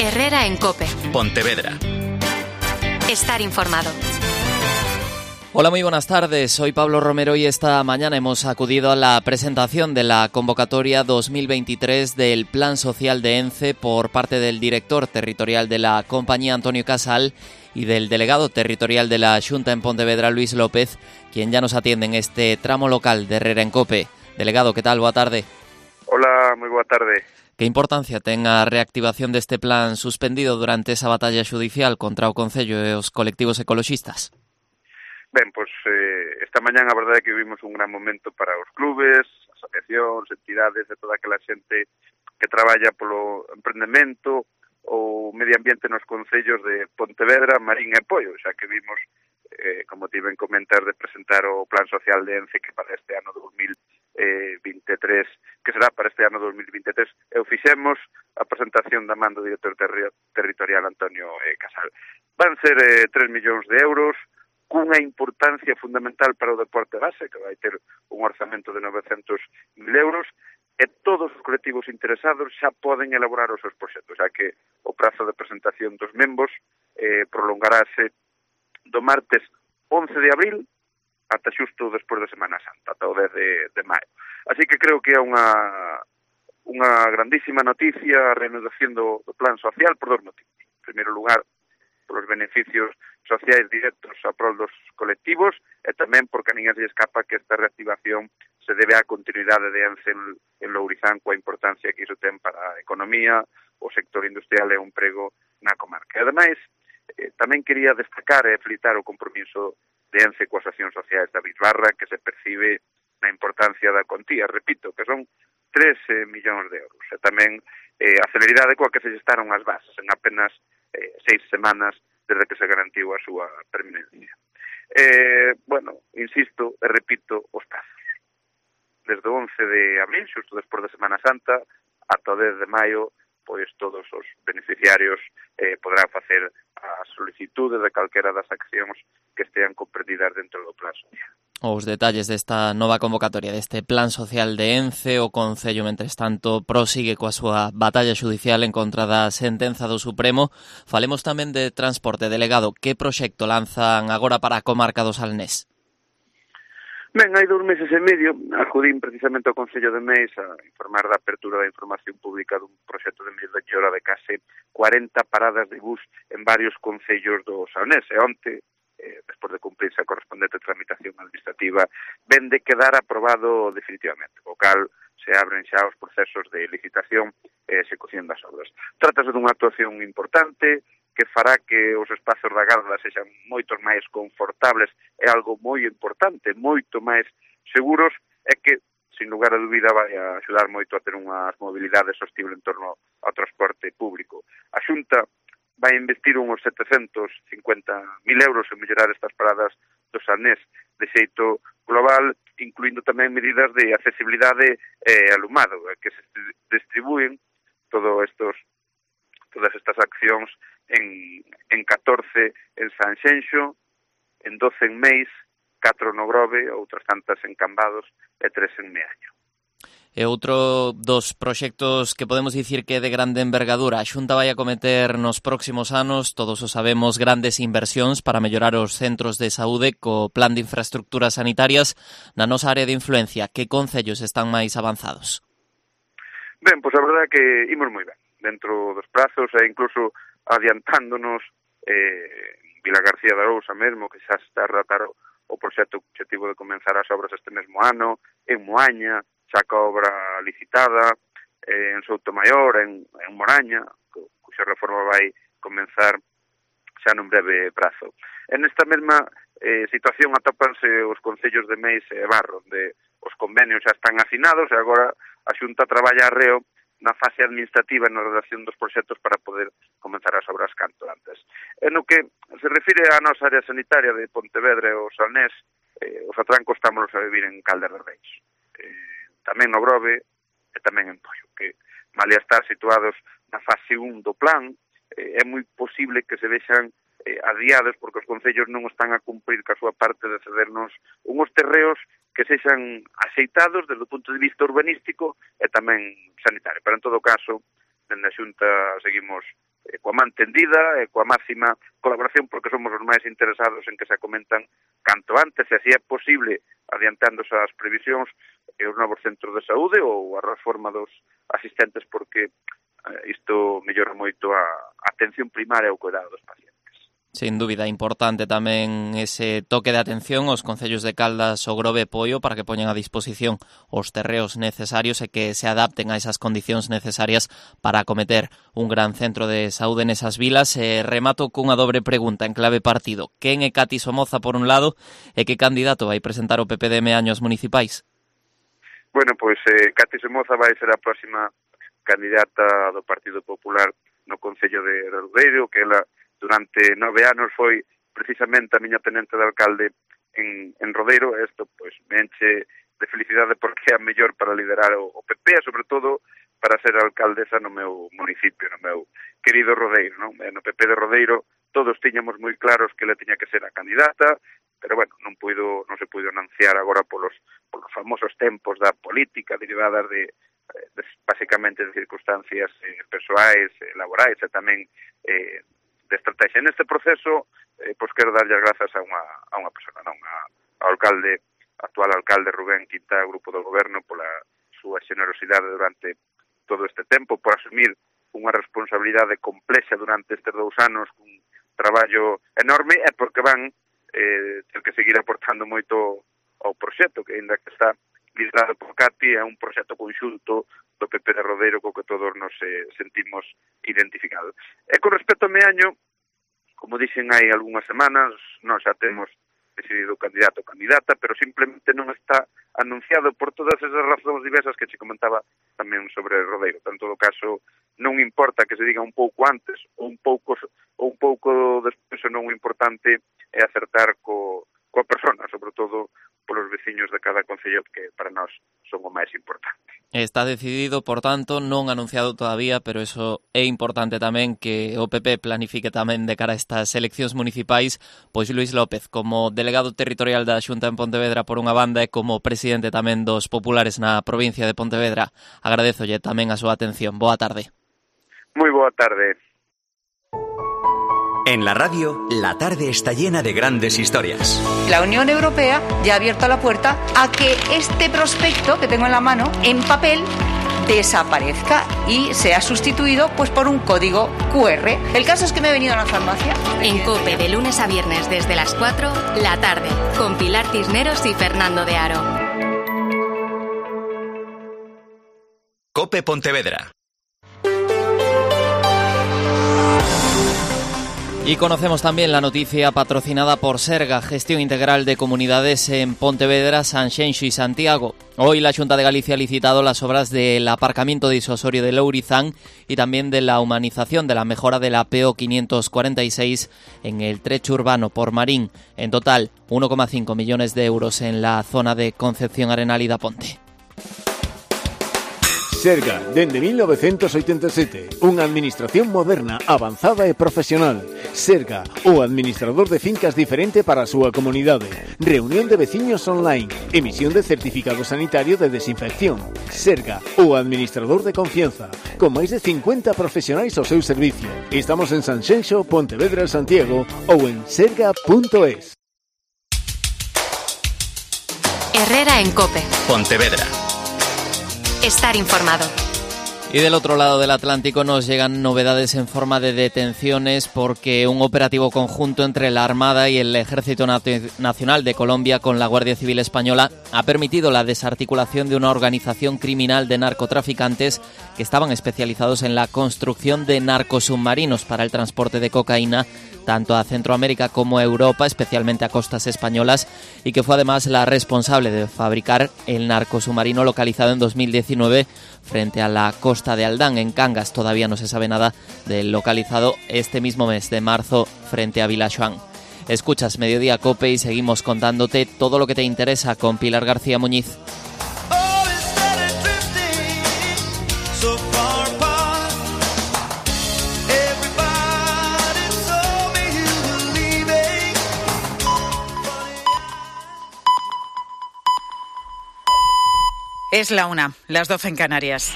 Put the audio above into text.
Herrera en COPE. Pontevedra. Estar informado. Hola, muy buenas tardes. Soy Pablo Romero y esta mañana hemos acudido a la presentación de la convocatoria 2023 del Plan Social de ENCE por parte del director territorial de la compañía, Antonio Casal, y del delegado territorial de la Xunta en Pontevedra, Luis López, quien ya nos atiende en este tramo local de Herrera en COPE. Delegado, ¿qué tal? Boa tarde. Hola, moi boa tarde. Que importancia ten a reactivación deste plan suspendido durante esa batalla xudicial contra o Concello e os colectivos ecoloxistas? Ben, pois esta mañán a verdade é que vivimos un gran momento para os clubes, asociacións, entidades e toda aquela xente que traballa polo emprendemento ou medio ambiente nos concellos de Pontevedra, Marín e Poio, xa que vimos, como te iban comentar, de presentar o Plan Social de ENCE que para este ano 2023, que será para este ano 2023, e o fixemos a presentación da man do director territorial Antonio Casal. Van ser 3 millóns de euros, cunha importancia fundamental para o deporte base, que vai ter un orzamento de 900.000 euros, e todos os colectivos interesados xa poden elaborar os seus proxectos, xa que o prazo de presentación dos membros prolongarase do martes 11 de abril ata xusto despois da Semana Santa, ata o 10 de maio. Así que creo que é unha grandísima noticia a reanudación do plan social por dos motivos. En primeiro lugar, polos beneficios sociais directos a prol dos colectivos e tamén porque a ninguén se escapa que esta reactivación se debe á continuidade de ENCE en Lourizán coa importancia que iso ten para a economía, o sector industrial e o emprego na comarca. E ademais, tamén quería destacar e felicitar o compromiso de ENCE coas accións sociais da Bisbarra que se percibe na importancia da contía, repito, que son 3 millóns de euros. E tamén a celeridade coa que se gestaron as bases en apenas 6 semanas desde que se garantiu a súa permanencia. Bueno, insisto e repito os prazos. Desde o 11 de abril, xusto despois da Semana Santa, ata o 10 de maio, pois todos os beneficiarios poderán facer a solicitude de calquera das accións que estean comprendidas dentro do plan social. Os detalles desta nova convocatoria deste Plan Social de ENCE, o Concello, mentres tanto, prosigue coa súa batalla xudicial en contra da sentenza do Supremo. Falemos tamén de transporte. Delegado, que proxecto lanzan agora para a comarca do Salnés? Ben, hai 2 meses e medio acudín precisamente ao Concello de Meis a informar da apertura da información pública dun proxecto de mellora de case 40 paradas de bus en varios concellos do Salnés. E onte, despois de cumprirse a correspondente tramitación administrativa, ven de quedar aprobado definitivamente, o cal se abren xa os procesos de licitación e execución das obras. Trátase dunha actuación importante que fará que os espazos da Garda sexan moito máis confortables, é algo moi importante, moito máis seguros, e que, sin lugar a dúbida, vai a axudar moito a ter unha mobilidade sostible en torno ao transporte público. A Xunta vai investir uns 750.000 euros en mellorar estas paradas do Salnés de xeito global, incluindo tamén medidas de accesibilidade e alumado, que se distribúen todas estas accións en 14 en Sanxenxo, en 12 en Meis, 4 no Grove, outras tantas en Cambados e 3 en Meaño. E outro dos proxectos que podemos dicir que é de grande envergadura. A Xunta vai a cometer nos próximos anos, todos o sabemos, grandes inversións para mellorar os centros de saúde co plan de infraestructuras sanitarias na nosa área de influencia. Que concellos están máis avanzados? Ben, pois a verdade é que imos moi ben dentro dos prazos e incluso adiantándonos Vila García de Arousa mesmo, que xa está a tratar o proxecto objetivo de comenzar as obras este mesmo ano, en Moaña, xa ca obra licitada, en Soutomaior, en Moraña, cuxa reforma vai comenzar xa nun breve prazo. En esta mesma situación atópanse os concellos de Meis e Barro, onde os convenios xa están asinados e agora a Xunta traballa arreo na fase administrativa na redacción dos proxectos para poder comenzar as obras canto antes. En o que se refire á nosa área sanitaria de Pontevedra e o Salnés, os atrancos estamos a vivir en Caldas de Reis, tamén no Grove e tamén en Poio, que malia estar situados na fase 1 do plan, é moi posible que se vexan adiados porque os concellos non están a cumprir ca súa parte de cedernos unhos terreos que sexan axeitados desde o punto de vista urbanístico e tamén sanitario. Pero en todo caso, dende a Xunta seguimos coa man tendida e coa máxima colaboración, porque somos os máis interesados en que se acomentan canto antes, e así é posible, adiantándose as previsións, os novos centros de saúde ou a reforma dos asistentes, porque isto mellora moito a atención primaria e o cuidado dos pacientes. Sin dúbida, importante tamén ese toque de atención aos concellos de Caldas, O Grove e Poio para que poñan a disposición os terreos necesarios e que se adapten a esas condicións necesarias para acometer un gran centro de saúde nesas vilas. Remato cunha dobre pregunta en clave partido. Quen é Cati Somoza por un lado e que candidato vai presentar o PPDM años municipais? Bueno, pois Cati Somoza vai ser a próxima candidata do Partido Popular no Concello de Rodeiro, que ela durante 9 anos foi precisamente a miña tenente de alcalde en Rodeiro. Isto pois me enche de felicidade porque é a mellor para liderar o PP e sobre todo para ser alcaldesa no meu municipio, no meu querido Rodeiro, non? No PP de Rodeiro todos tiñamos moi claros que ela tiña que ser a candidata, pero bueno, non se puido anunciar agora polos famosos tempos da política derivadas de basicamente de circunstancias persoais, laborais e tamén de estrategia. En este proceso, pois quero darlle as grazas a unha persona, non? Ao actual alcalde Rubén Quintá, grupo do goberno, pola súa xenerosidade durante todo este tempo, por asumir unha responsabilidade complexa durante estes 2 anos, cun traballo enorme, e porque van ter que seguir aportando moito ao proxecto, que ainda que está liderado por Cati, é un proxecto conxunto do PP de Rodeiro co que todos nos sentimos identificados. E con respecto ao Meaño, como dixen hai algunhas semanas, nós xa temos decidido candidato ou candidata, pero simplemente non está anunciado por todas esas razóns diversas que che comentaba tamén sobre Rodeiro. En todo caso, non importa que se diga un pouco antes ou un pouco despois, non o importante é acertar coa persona, sobre todo polos veciños de cada concello, que para nós son o máis importante. Está decidido, por tanto, non anunciado todavía, pero eso é importante tamén que o PP planifique tamén de cara a estas eleccións municipais. Pois Luís López, como delegado territorial da Xunta en Pontevedra por unha banda e como presidente tamén dos populares na provincia de Pontevedra, agradézolle tamén a súa atención. Boa tarde. Moi boa tarde. En la radio, la tarde está llena de grandes historias. La Unión Europea ya ha abierto la puerta a que este prospecto que tengo en la mano, en papel, desaparezca y sea sustituido pues por un código QR. El caso es que me he venido a la farmacia. En COPE, de lunes a viernes desde las 4, la tarde, con Pilar Cisneros y Fernando de Aro. COPE Pontevedra. Y conocemos también la noticia patrocinada por Serga, Gestión Integral de Comunidades en Pontevedra, Sanxenxo y Santiago. Hoy la Xunta de Galicia ha licitado las obras del aparcamiento disuasorio de Lourizán y también de la humanización de la mejora de la PO 546 en el trecho urbano por Marín. En total, 1,5 millones de euros en la zona de Concepción Arenal y da Ponte. Serga, dende 1987, unha administración moderna, avanzada e profesional. Serga, o administrador de fincas diferente para a súa comunidade. Reunión de veciños online. Emisión de certificado sanitario de desinfección. Serga, o administrador de confianza. Con máis de 50 profesionais ao seu servicio. Estamos en Sanxenxo, Pontevedra, Santiago ou en serga.es. Herrera en COPE. Pontevedra. Estar informado. Y del otro lado del Atlántico nos llegan novedades en forma de detenciones porque un operativo conjunto entre la Armada y el Ejército Nacional de Colombia con la Guardia Civil Española ha permitido la desarticulación de una organización criminal de narcotraficantes que estaban especializados en la construcción de narcosubmarinos para el transporte de cocaína tanto a Centroamérica como a Europa, especialmente a costas españolas, y que fue además la responsable de fabricar el narcosubmarino localizado en 2019 frente a la costa de Aldán, en Cangas. Todavía no se sabe nada del localizado este mismo mes de marzo frente a Vilaxoán. Escuchas Mediodía COPE y seguimos contándote todo lo que te interesa con Pilar García Muñiz. Es la 1, las 12 en Canarias.